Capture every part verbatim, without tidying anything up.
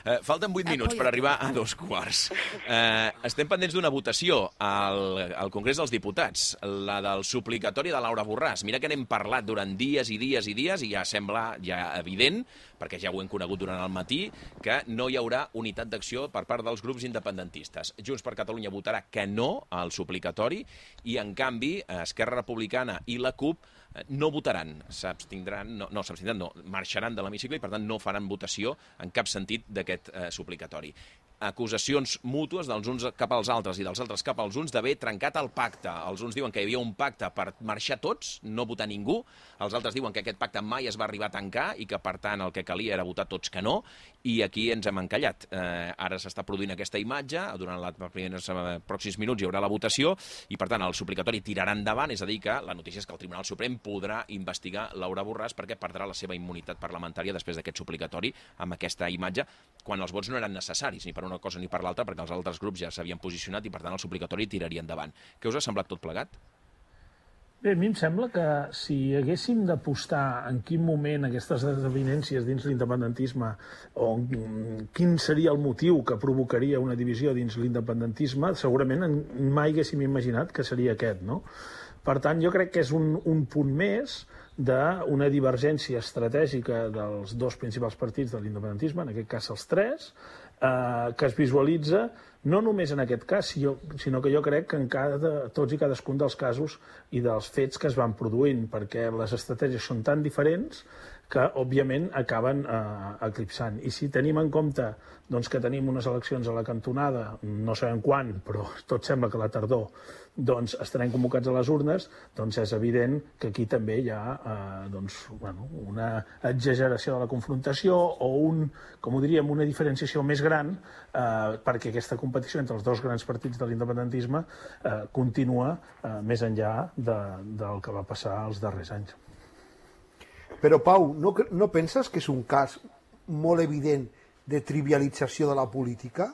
Uh, falten vuit minuts per arribar a dos quarts. Uh, estem pendents d'una votació al, al Congrés dels Diputats, la del suplicatori de Laura Borràs. Mira que n'hem parlat durant dies i dies i dies i ja sembla ja evident, perquè ja ho hem conegut durant el matí, que no hi haurà unitat d'acció per part dels grups independentistes. Junts per Catalunya votarà que no al suplicatori i, en canvi, Esquerra Republicana i la CUP no votaran, s'abstindran, no, no s'abstindran, no, marxaran de l'hemicicle i, per tant, no faran votació en cap sentit d'aquest eh, suplicatori. Acusacions mútues dels uns cap als altres i dels altres cap als uns d'haver trencat el pacte. Els uns diuen que hi havia un pacte per marxar tots, no votar ningú. Els altres diuen que aquest pacte mai es va arribar a tancar i que, per tant, el que calia era votar tots que no. I aquí ens hem encallat. Eh, ara s'està produint aquesta imatge, durant els primers eh, pròxims minuts hi haurà la votació i, per tant, el suplicatori tirarà endavant, és a dir, que la notícia és que el Tribunal Suprem podrà investigar Laura Borràs perquè perdrà la seva immunitat parlamentària després d'aquest suplicatori amb aquesta imatge, quan els vots no eren necessaris ni per una cosa ni per l'altra, perquè els altres grups ja s'havien posicionat i, per tant, el suplicatori tiraria endavant. Què us ha semblat tot plegat? Bé, a mi em sembla que si haguéssim d'apostar en quin moment aquestes desavinències dins l'independentisme o quin seria el motiu que provocaria una divisió dins l'independentisme, segurament mai haguéssim imaginat que seria aquest, no? Per tant, jo crec que és un, un punt més d'una divergència estratègica dels dos principals partits de l'independentisme, en aquest cas els tres, eh, que es visualitza no només en aquest cas, sinó que jo crec que en cada, tots i cadascun dels casos i dels fets que es van produint, perquè les estratègies són tan diferents que, òbviament, acaben eh, eclipsant. I si tenim en compte doncs, que tenim unes eleccions a la cantonada, no sabem quan, però tot sembla que a la tardor doncs, estarem convocats a les urnes, doncs és evident que aquí també hi ha eh, doncs, bueno, una exageració de la confrontació o, un, com ho diríem, una diferenciació més gran eh, perquè aquesta competició entre els dos grans partits de l'independentisme eh, continua eh, més enllà de, del que va passar els darrers anys. Però, Pau, no, no penses que és un cas molt evident de trivialització de la política?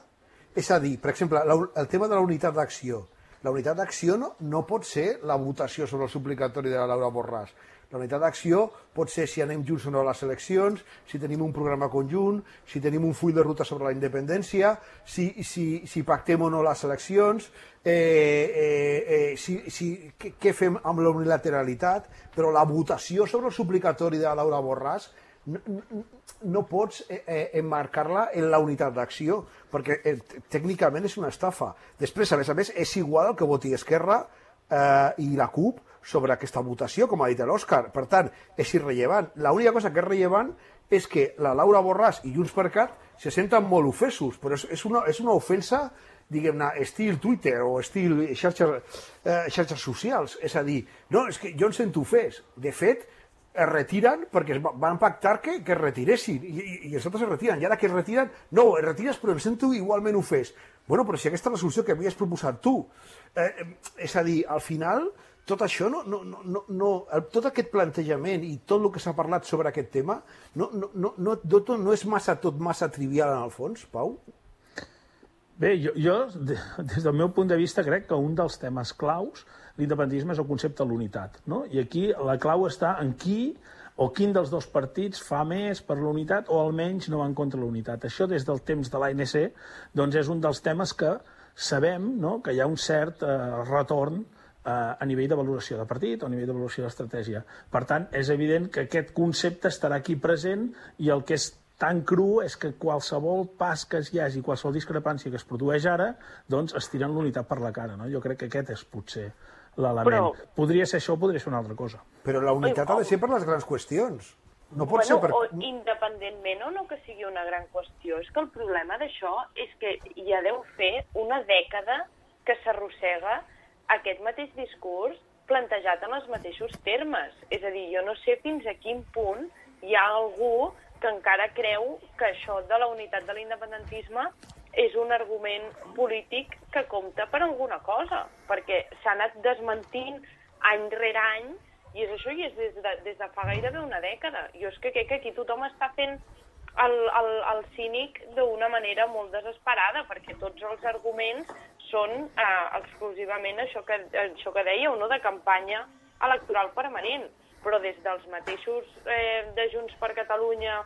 És a dir, per exemple, el tema de la unitat d'acció. La unitat d'acció no, no pot ser la votació sobre el suplicatori de la Laura Borràs. La unitat d'acció pot ser si anem junts o no a les eleccions, si tenim un programa conjunt, si tenim un full de ruta sobre la independència, si, si, si pactem o no les eleccions, eh, eh, eh, si, si, què, què fem amb la unilateralitat, però la votació sobre el suplicatori de la Laura Borràs no, no, no pots eh, eh, emmarcar-la en la unitat d'acció, perquè eh, tècnicament és una estafa. Després, a més a més, és igual el que voti Esquerra eh, i la CUP sobre aquesta votació, com ha dit l'Òscar. Per tant, és irrellevant. L'única cosa que és rellevant és que la Laura Borràs i Junts per Cat se senten molt ofesos, però és, és, una, és una ofensa, diguem-ne, estil Twitter o estil xarxes, eh, xarxes socials. És a dir, no, és que jo em sento ofès. De fet, es retiren perquè es van pactar que, que es retiressin i, i, i els altres es retiren. I ara que es retiren, no, es retires però em sento igualment ofès. Bueno, però si aquesta és la solució que havies proposat tu. Eh, és a dir, al final, tot això, no, no, no, no, tot aquest plantejament i tot el que s'ha parlat sobre aquest tema no, no, no, no, no és massa, tot massa trivial en el fons, Pau? Bé, jo, jo, des del meu punt de vista, crec que un dels temes claus, l'independentisme, és el concepte de l'unitat, no? I aquí la clau està en qui o quin dels dos partits fa més per la unitat o almenys no va en contra de la unitat. Això, des del temps de l'A N C, doncs és un dels temes que sabem, no?, que hi ha un cert eh, retorn a nivell de valoració de partit o a nivell de valoració d'estratègia. Per tant, és evident que aquest concepte estarà aquí present i el que és tan cru és que qualsevol pas que hi hagi, qualsevol discrepància que es produeix ara, doncs es tiren l'unitat per la cara, no? Jo crec que aquest és potser l'element. Però... Podria ser això o podria ser una altra cosa. Però la unitat Oi, ha de ser per les grans qüestions. No pot bueno, ser per... o independentment o no que sigui una gran qüestió. És que el problema d'això és que ja deu fer una dècada que s'arrossega aquest mateix discurs plantejat en els mateixos termes. És a dir, jo no sé fins a quin punt hi ha algú que encara creu que això de la unitat de l'independentisme és un argument polític que compta per alguna cosa, perquè s'ha anat desmentint any rere any, i és això, i és des de, des de fa gairebé una dècada. Jo és que crec que aquí tothom està fent el, el, el cínic d'una manera molt desesperada, perquè tots els arguments són eh, exclusivament això que, això que dèieu, no?, de campanya electoral permanent. Però des dels mateixos eh, de Junts per Catalunya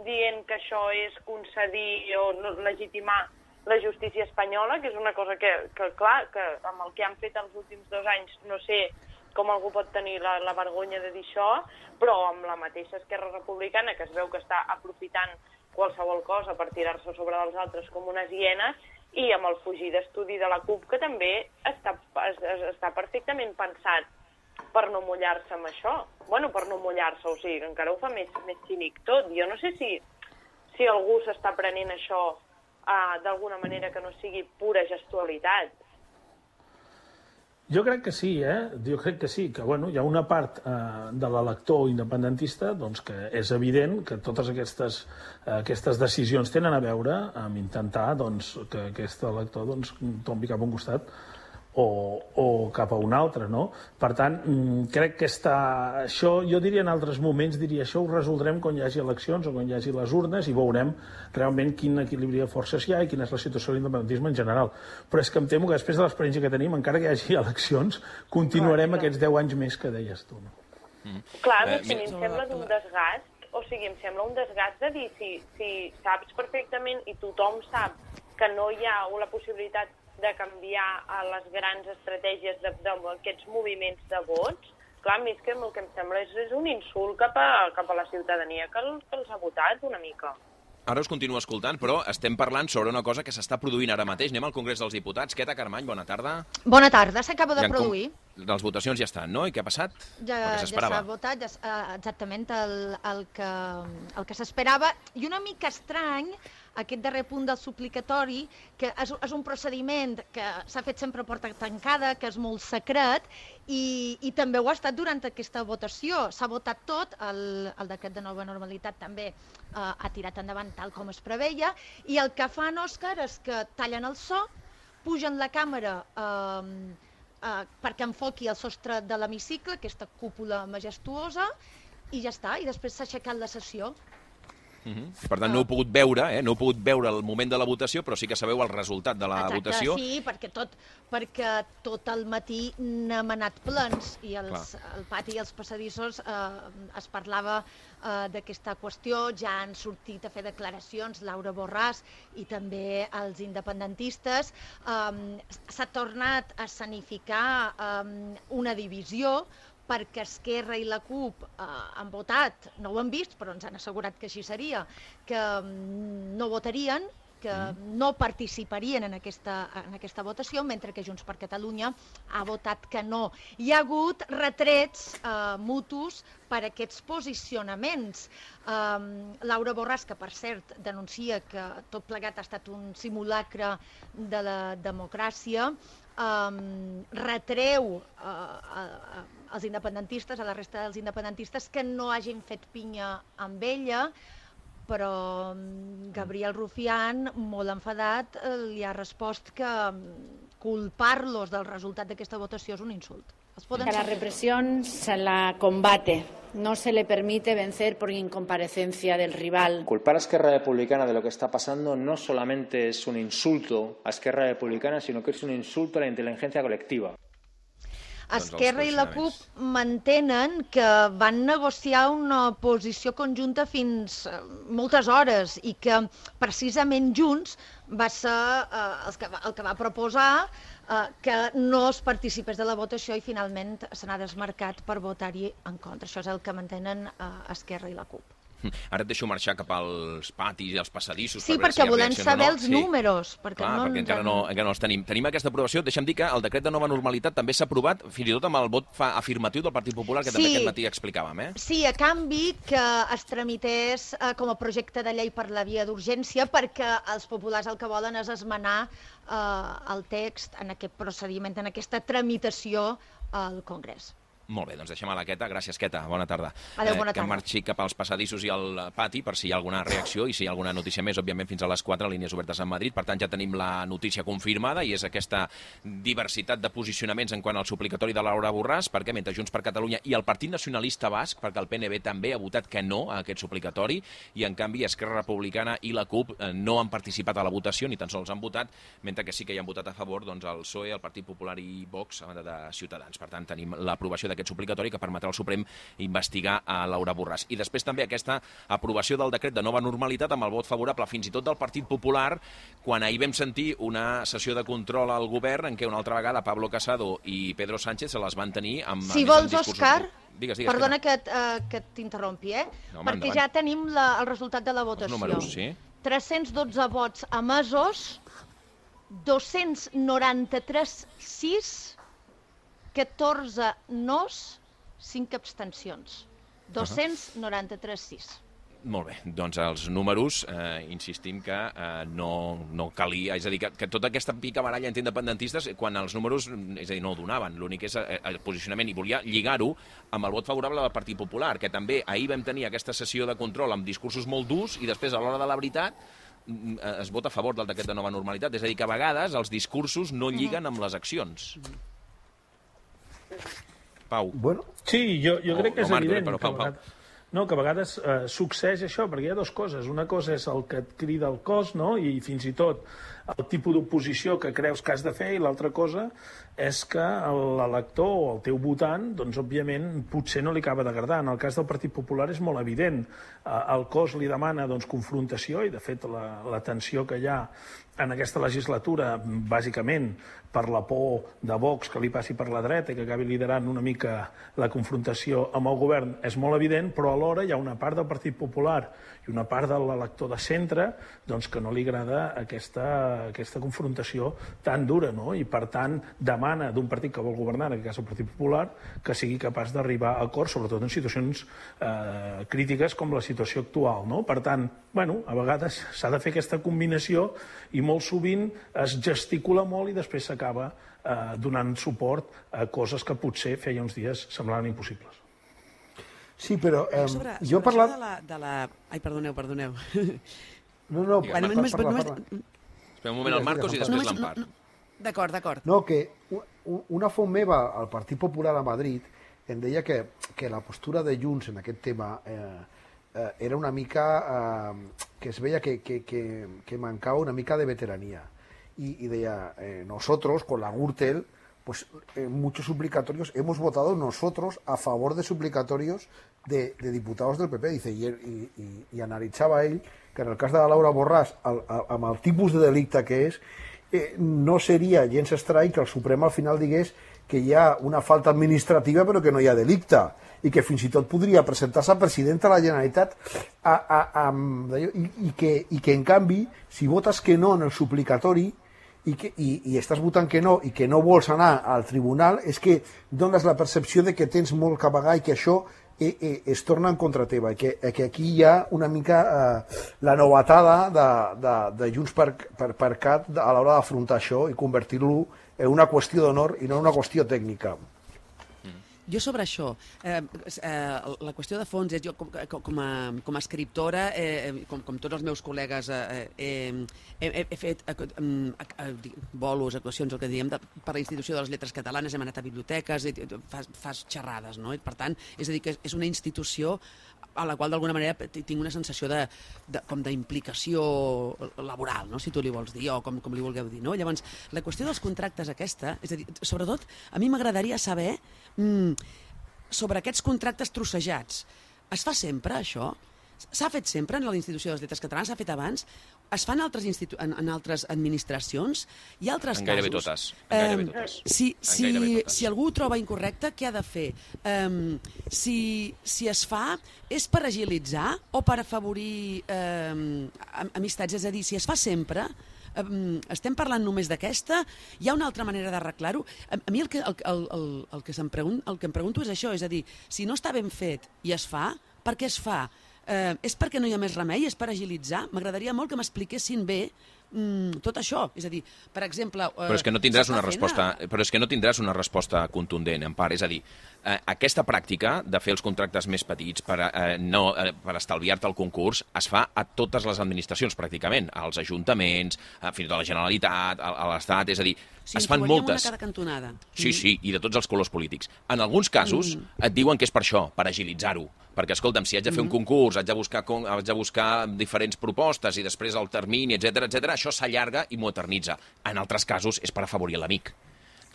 dient que això és concedir o legitimar la justícia espanyola, que és una cosa que, que clar, que amb el que han fet els últims dos anys no sé com algú pot tenir la, la vergonya de dir això, però amb la mateixa Esquerra Republicana, que es veu que està aprofitant qualsevol cosa per tirar-se sobre dels altres com unes hienes, i amb el fugir d'estudi de la CUP, que també està, es, està perfectament pensat per no mullar-se amb això. Bueno, per no mullar-se, o sigui, encara ho fa més, més cínic tot. Jo no sé si, si algú s'està prenent això uh, d'alguna manera que no sigui pura gestualitat. Jo crec que sí, eh? Jo crec que sí, que bueno, hi ha una part eh, de l'elector independentista doncs, que és evident que totes aquestes, eh, aquestes decisions tenen a veure amb intentar doncs, que aquest elector doncs, tombi cap a un costat o, o cap a un altre, no? Per tant, crec que està... Això, jo diria en altres moments, diria això ho resoldrem quan hi hagi eleccions o quan hi hagi les urnes i veurem realment quin equilibri de forces hi ha i quina és la situació de l'independentisme en general. Però és que em temo que després de l'experiència que tenim, encara que hi hagi eleccions, continuarem clar, aquests deu anys més que deies tu. No? Mm. Clar, a mi em sembla d'un desgast, o sigui, em sembla un desgast de dir si, si saps perfectament i tothom sap que no hi ha la possibilitat de canviar a les grans estratègies d'aquests moviments de vots, clar, a mi és que el que em sembla és, és un insult cap a, cap a la ciutadania que, el, que els ha votat una mica. Ara us continuo escoltant, però estem parlant sobre una cosa que s'està produint ara mateix. Anem al Congrés dels Diputats. Queta Carmany, bona tarda. Bona tarda, s'acaba de produir. Com... Les votacions ja estan, no? I què ha passat? Ja, ja s'ha votat, ja, exactament el, el que, el que s'esperava. I una mica estrany, aquest darrer punt del suplicatori, que és, és un procediment que s'ha fet sempre a porta tancada, que és molt secret, i, i també ho ha estat durant aquesta votació. S'ha votat tot, el, el decret de nova normalitat també eh, ha tirat endavant tal com es preveia, i el que fan, Òscar, és que tallen el so, pugen la càmera eh, eh, perquè enfoqui el sostre de l'hemicicle, aquesta cúpula majestuosa, i ja està, i després s'ha aixecat la sessió. Uh-huh. Per tant, no heu pogut veure, eh? no heu pogut veure el moment de la votació, però sí que sabeu el resultat de la Exacte, votació. Sí, perquè tot, perquè tot el matí n'hem anat plens i els, el pati i els passadissos eh, es parlava eh, d'aquesta qüestió, ja han sortit a fer declaracions Laura Borràs i també els independentistes. Eh, s'ha tornat a escenificar eh, una divisió, perquè Esquerra i la CUP eh, han votat, no ho han vist, però ens han assegurat que així seria, que mm, no votarien, que mm. no participarien en aquesta, en aquesta votació, mentre que Junts per Catalunya ha votat que no. Hi ha hagut retrets eh, mutus per aquests posicionaments. Eh, Laura Borràs, que per cert denuncia que tot plegat ha estat un simulacre de la democràcia, eh, retreu eh, als independentistes, a la resta dels independentistes, que no hagin fet pinya amb ella, però Gabriel Rufián, molt enfadat, li ha respost que culpar-los del resultat d'aquesta votació és un insult. Que la represión se la combate, no se le permite vencer por incomparecencia del rival. Culpar a Esquerra Republicana de lo que está pasando no solamente es un insulto a Esquerra Republicana, sino que es un insulto a la inteligencia colectiva. Esquerra i la CUP mantenen que van negociar una posició conjunta fins moltes hores i que precisament Junts va ser eh, el, que va, el que va proposar eh, que no es participés de la votació i finalment se n'ha desmarcat per votar-hi en contra. Això és el que mantenen eh, Esquerra i la CUP. Ara et deixo marxar cap als patis i als passadissos. Sí, per perquè si volem saber no. els sí. números. Perquè, Clar, no perquè encara no, encara no els tenim. Tenim aquesta aprovació. Deixa'm dir que el decret de nova normalitat també s'ha aprovat, fins i tot amb el vot afirmatiu del Partit Popular, que sí. també aquest matí explicàvem. Eh? Sí, a canvi que es tramités eh, com a projecte de llei per la via d'urgència, perquè els populars el que volen és esmenar eh, el text en aquest procediment, en aquesta tramitació al Congrés. Molt bé, doncs deixem a la Queta. Gràcies, Queta. Bona tarda. Adéu, bona eh, que tarda. marxi cap als passadissos i al pati per si hi ha alguna reacció i si hi ha alguna notícia més, òbviament fins a les quatre, línies obertes a Madrid. Per tant, ja tenim la notícia confirmada i és aquesta diversitat de posicionaments en quant al suplicatori de Laura Borràs, perquè mentre Junts per Catalunya i el Partit Nacionalista Basc, perquè el P N B també ha votat que no a aquest suplicatori, i en canvi Esquerra Republicana i la CUP no han participat a la votació, ni tan sols han votat, mentre que sí que hi han votat a favor doncs, el P S O E, el Partit Popular i Vox, a banda de Ciutadans. Per tant, tenim l'aprovació d'aquest suplicatori que permetrà al Suprem investigar a Laura Borràs. I després també aquesta aprovació del decret de nova normalitat amb el vot favorable fins i tot del Partit Popular, quan ahir vam sentir una sessió de control al govern en què una altra vegada Pablo Casado i Pedro Sánchez se les van tenir amb... Si vols, Òscar, digues, digues, perdona que, uh, que t'interrompi, eh? No, perquè ja tenim la, el resultat de la votació. Els números, sí. tres-cents dotze vots emesos, dos-cents noranta-tres sis, catorze nos, cinc abstencions. dos-cents noranta-tres sis. Molt bé, doncs els números, eh, insistim que eh, no, no calia, és a dir, que, que tota aquesta picabaralla entre independentistes, quan els números, és a dir, no ho donaven, l'únic és eh, el posicionament, i volia lligar-ho amb el vot favorable del Partit Popular, que també ahir vam tenir aquesta sessió de control amb discursos molt durs i després, a l'hora de la veritat, es vota a favor del decret de nova normalitat. És a dir, que a vegades els discursos no lliguen amb les accions. Pau. Bueno, sí, jo, jo crec que és Marc, evident però, Pau, que, a vegades, no, que a vegades eh, succeeix això, perquè hi ha dues coses. Una cosa és el que et crida el cos, no?, i fins i tot el tipus d'oposició que creus que has de fer, i l'altra cosa és que l'elector o el teu votant, doncs, òbviament, potser no li acaba d'agradar. En el cas del Partit Popular és molt evident. El cos li demana, doncs, confrontació, i, de fet, la, la tensió que hi ha en aquesta legislatura, bàsicament per la por de Vox que li passi per la dreta i que acabi liderant una mica la confrontació amb el govern, és molt evident, però alhora hi ha una part del Partit Popular i una part de l'elector de centre, doncs, que no li agrada aquesta, aquesta confrontació tan dura, no? I, per tant, demana d'un partit que vol governar, en aquest cas el Partit Popular, que sigui capaç d'arribar a acords, sobretot en situacions eh, crítiques com la situació actual, no? Per tant, bueno, a vegades s'ha de fer aquesta combinació i molt sovint es gesticula molt i després s'acaba eh, donant suport a coses que potser feia uns dies semblaven impossibles. Sí, però eh, sobre, jo he sobre parlat... De la, de la... Ai, perdoneu, perdoneu. No, no, bueno, parla, només, parla, només... parla. Espera un moment, el Marcos i després l'Empar. No, no. D'acord, d'acord. No, que una font meva al Partit Popular a Madrid em deia que, que la postura de Junts en aquest tema eh, eh, era una mica... Eh, que es veia que, que, que, que mancava una mica de veteranía. Y, y deia, eh, nosotros, con la Gürtel, pues en muchos suplicatorios hemos votado nosotros a favor de suplicatorios de, de diputados del P P. Dice, y, y, y, y analitzava ell que en el cas de la Laura Borràs, el, el, amb el tipus de delicte que és, eh, no seria gens estrany que el Suprem al final digués que hi ha una falta administrativa però que no hi ha delicte, i que fins i tot podria presentar-se a presidenta de la Generalitat a, a, a, i, i, que, i que en canvi, si votes que no en el suplicatori i, que, i, i estàs votant que no i que no vols anar al tribunal, és que dones la percepció de que tens molt que pagar i que això eh, eh, es torna en contra teva, i que, eh, que aquí hi ha una mica eh, la novetada de, de, de Junts per, per, per Cat a l'hora d'afrontar això i convertir-lo en una qüestió d'honor i no en una qüestió tècnica. Jo sobre això, eh, eh, la qüestió de fons és, jo com, com, a, com a escriptora, eh, com, com tots els meus col·legues, eh, eh, he, he fet eh, eh, bolos, actuacions, el que diem, de, per la Institució de les Lletres Catalanes, hem anat a biblioteques, fas, fas xerrades, no? I, per tant, és a dir, que és una institució a la qual d'alguna manera tinc una sensació de, de, com d'implicació laboral, no? Si tu li vols dir, o com, com li vulgueu dir, no? Llavors, la qüestió dels contractes aquesta, és a dir, sobretot, a mi m'agradaria saber mm, sobre aquests contractes trossejats. Es fa sempre, això? S'ha fet sempre en la Institució de les Lletres Catalanes? S'ha fet abans? Es fa en altres, institu en, en altres administracions? Hi ha altres en gairebé casos? Totes. En gairebé totes. Eh, si, en si, gairebé totes. Si algú ho troba incorrecte, què ha de fer? Um, si, si es fa, és per agilitzar o per afavorir um, amistats? És a dir, si es fa sempre... Um, estem parlant només d'aquesta? Hi ha una altra manera d'arreglar-ho? A, a mi el que, el, el, el, el, que em pregun, el que em pregunto és això, és a dir, si no està ben fet i es fa, per què es fa? Uh, és perquè no hi ha més remei? És per agilitzar? M'agradaria molt que m'expliquessin bé mm, tot això. És a dir, per exemple... Uh, però és que no tindràs una resposta, a... però és que no tindràs una resposta contundent, en part. És a dir, eh, aquesta pràctica de fer els contractes més petits per, eh, no, eh, per estalviar-te el concurs es fa a totes les administracions, pràcticament, als ajuntaments, a, fins i tot a la Generalitat, a, a l'Estat, és a dir, sí, es fan moltes... una cada cantonada. Sí, sí, i de tots els colors polítics. En alguns casos mm. et diuen que és per això, per agilitzar-ho. Perquè, escolta'm, si haig de fer mm. un concurs, haig de, buscar, haig de buscar diferents propostes i després el termini, etcètera, etcètera, això s'allarga i m'ho eternitza. En altres casos és per afavorir l'amic.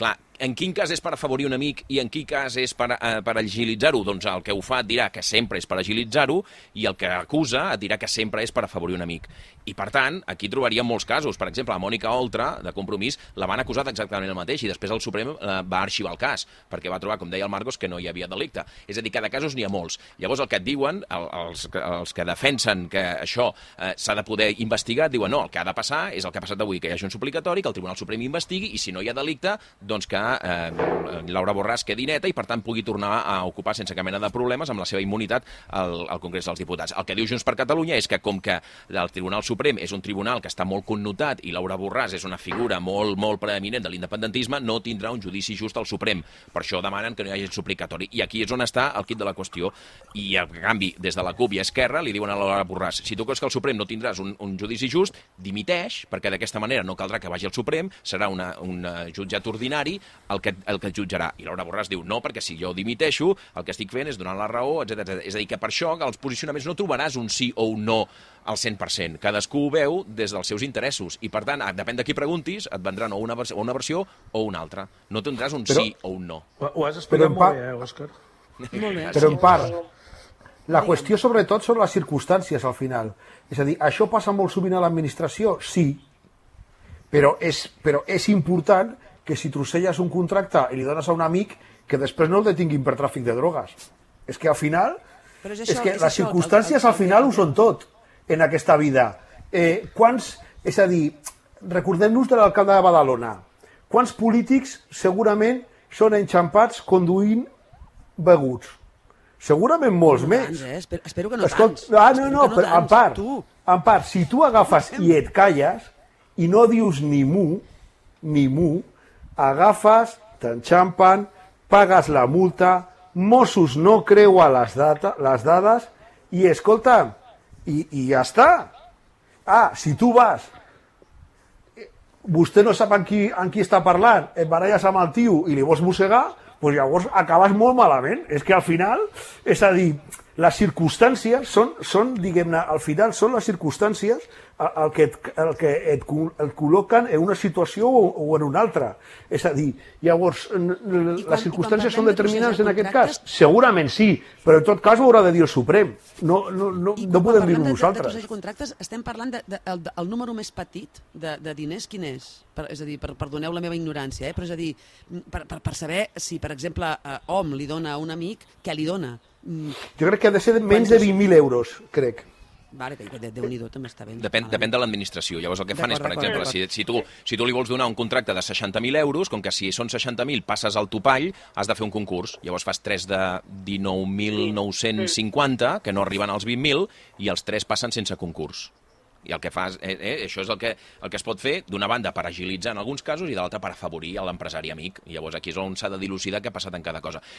Clar, en quin cas és per afavorir un amic i en quin cas és per, eh, per agilitzar-ho? Doncs el que ho fa et dirà que sempre és per agilitzar-ho i el que acusa et dirà que sempre és per afavorir un amic. I, per tant, aquí trobaríem molts casos. Per exemple, la Mònica Oltra, de Compromís, la van acusar exactament el mateix i després el Suprem eh, va arxivar el cas, perquè va trobar, com deia el Marcos, que no hi havia delicte. És a dir, que de casos n'hi ha molts. Llavors, el que et diuen, el, els, els que defensen que això eh, s'ha de poder investigar, et diuen no, el que ha de passar és el que ha passat avui, que hi hagi un suplicatori, que el Tribunal Suprem investigui i si no hi ha delicte, doncs que eh, Laura Borràs quedi neta i per tant pugui tornar a ocupar sense cap mena de problemes amb la seva immunitat al, al Congrés dels Diputats. El que diu Junts per Catalunya és que com que el Tribunal Suprem és un tribunal que està molt connotat i Laura Borràs és una figura molt, molt preeminent de l'independentisme, no tindrà un judici just al Suprem. Per això demanen que no hi hagi suplicatori. I aquí és on està el quid de la qüestió. I, en canvi, des de la CUP i Esquerra li diuen a Laura Borràs, si tu creus que al Suprem no tindràs un, un judici just, dimiteix, perquè d'aquesta manera no caldrà que vagi al Suprem, serà una, un jutjat ordinari el que, el que et jutjarà. I Laura Borràs diu, no, perquè si jo dimiteixo, el que estic fent és donar la raó, etcètera etcètera. És a dir, que per això que als posicionaments no trobaràs un sí o un no al cent per cent. Cadascú ho veu des dels seus interessos i, per tant, depèn de qui preguntis, et vendran o una, versió, o una versió o una altra. No tindràs un però, sí o un no. Ho has explicat molt part, bé, eh, Òscar? Molt bé. Però en part, la qüestió sobretot són les circumstàncies al final. És a dir, això passa molt sovint a l'administració? Sí, però és, però és important que si trosselles un contracte i li dones a un amic que després no el detinguin per tràfic de drogues. És que al final, és, això, és que és les això, circumstàncies el, el, el, al final ho són tot en aquesta vida. Eh, quants, és a dir, recordem-nos de l'alcalde de Badalona. Quants polítics segurament són enxampats conduint beguts? Segurament molts no més. Tants, eh? espero, espero que no Escol... tants. Ah, no, no, no però en part, en part, si tu agafes i et calles i no dius ni mu, ni mu, agafes, t'enxampen, pagues la multa, Mossos no creua les, data, les dades i, escolta, i, i ja està. Ah, si tu vas, vostè no sap amb qui, amb qui està parlant, et baralles amb el tio i li vols mossegar, doncs llavors acabes molt malament. És que al final, és a dir, les circumstàncies són, són diguem-ne, al final són les circumstàncies el que, et, el que et, et col·loquen en una situació o, o en una altra. És a dir, llavors, quan, les circumstàncies són determinants de en aquest cas? Segurament sí, però en tot cas ho haurà de dir el Suprem. No, no, no, no podem dir-ho nosaltres. I quan parlem de contractes, estem parlant del de, de, de, el número més petit de, de diners, quin és? Per, és a dir, per, perdoneu la meva ignorància, eh? Però és a dir, per, per, per saber si, per exemple, eh, Om li dona a un amic, què li dona? Jo crec que ha de ser menys de vint mil euros, crec. Vale, que Déu-n'hi-do també està ben. Depèn, depèn de l'administració. Llavors el que fan és, per exemple, si, si, tu, si tu li vols donar un contracte de seixanta mil euros, com que si són seixanta mil passes al topall, has de fer un concurs. Llavors fas tres de dinou mil nou-cents cinquanta, que no arriben als vint mil, i els tres passen sense concurs. I el que fas, eh, eh, això és el que, el que es pot fer, d'una banda per agilitzar en alguns casos i de l'altra per afavorir l'empresari amic. I llavors aquí és on s'ha de dilucidar què ha passat en cada cosa.